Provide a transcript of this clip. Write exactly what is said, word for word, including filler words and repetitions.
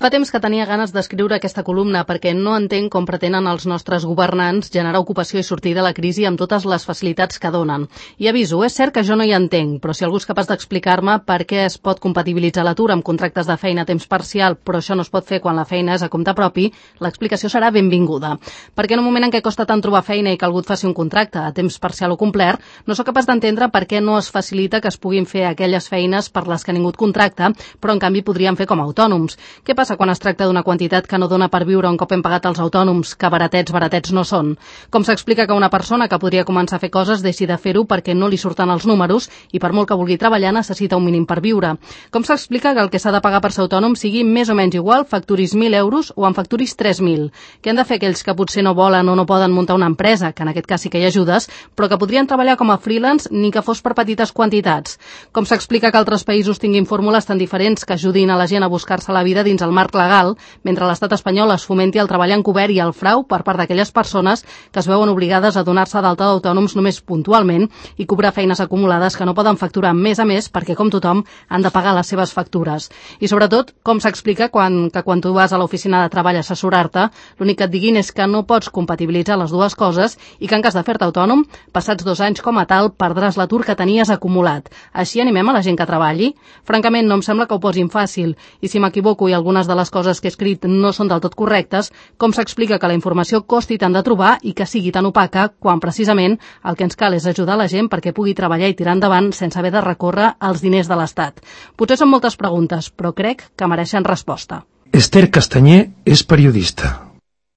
Fa temps que tenia ganes d'escriure aquesta columna perquè no entenc com pretenen els nostres governants generar ocupació i sortir de la crisi amb totes les facilitats que donen. I aviso, és cert que jo no hi entenc, però si algú és capaç d'explicar-me per què es pot compatibilitzar l'atur amb contractes de feina a temps parcial, però això no es pot fer quan la feina és a compte propi, l'explicació serà benvinguda. Perquè en un moment en què costa tant trobar feina i que algú et faci un contracte a temps parcial o complet, no sóc capaç d'entendre per què no es facilita que es puguin fer aquelles feines per les que ningú et contracta, però en canvi podrien fer com a autònoms. Què passa quan es tracta d'una quantitat que no dona per viure un cop hem pagat els autònoms, que baratets, baratets no són? Com s'explica que una persona que podria començar a fer coses deixi de fer-ho perquè no li surten els números i per molt que vulgui treballar necessita un mínim per viure? Com s'explica que el que s'ha de pagar per ser autònom sigui més o menys igual, facturis mil euros o en facturis tres mil? Què han de fer aquells que potser no volen o no poden muntar una empresa, que en aquest cas sí que hi ha ajudes, però que podrien treballar com a freelance ni que fos per petites quantitats? Com s'explica que altres països tinguin fórmules tan diferents que ajudin a la gent a buscar-se la vida dins el marc legal, mentre l'estat espanyol es fomenti el treball encobert i el frau per part d'aquelles persones que es veuen obligades a donar-se d'alta d'autònoms només puntualment i cobrar feines acumulades que no poden facturar més a més perquè, com tothom, han de pagar les seves factures. I, sobretot, com s'explica quan, que quan tu vas a l'oficina de treball a assessorar-te, l'únic que et diguin és que no pots compatibilitzar les dues coses i que en cas de fer-te autònom, passats dos anys com a tal, perdràs l'atur que tenies acumulat. Així animem a la gent que treballi? Francament, no em sembla que ho posin fàcil. I si m'equivoco i algunes de les coses que he escrit no són del tot correctes, com s'explica que la informació costi tant de trobar i que sigui tan opaca quan precisament el que ens cal és ajudar la gent perquè pugui treballar i tirar endavant sense haver de recórrer als diners de l'Estat? Potser són moltes preguntes, però crec que mereixen resposta. Esther Castanyer és periodista.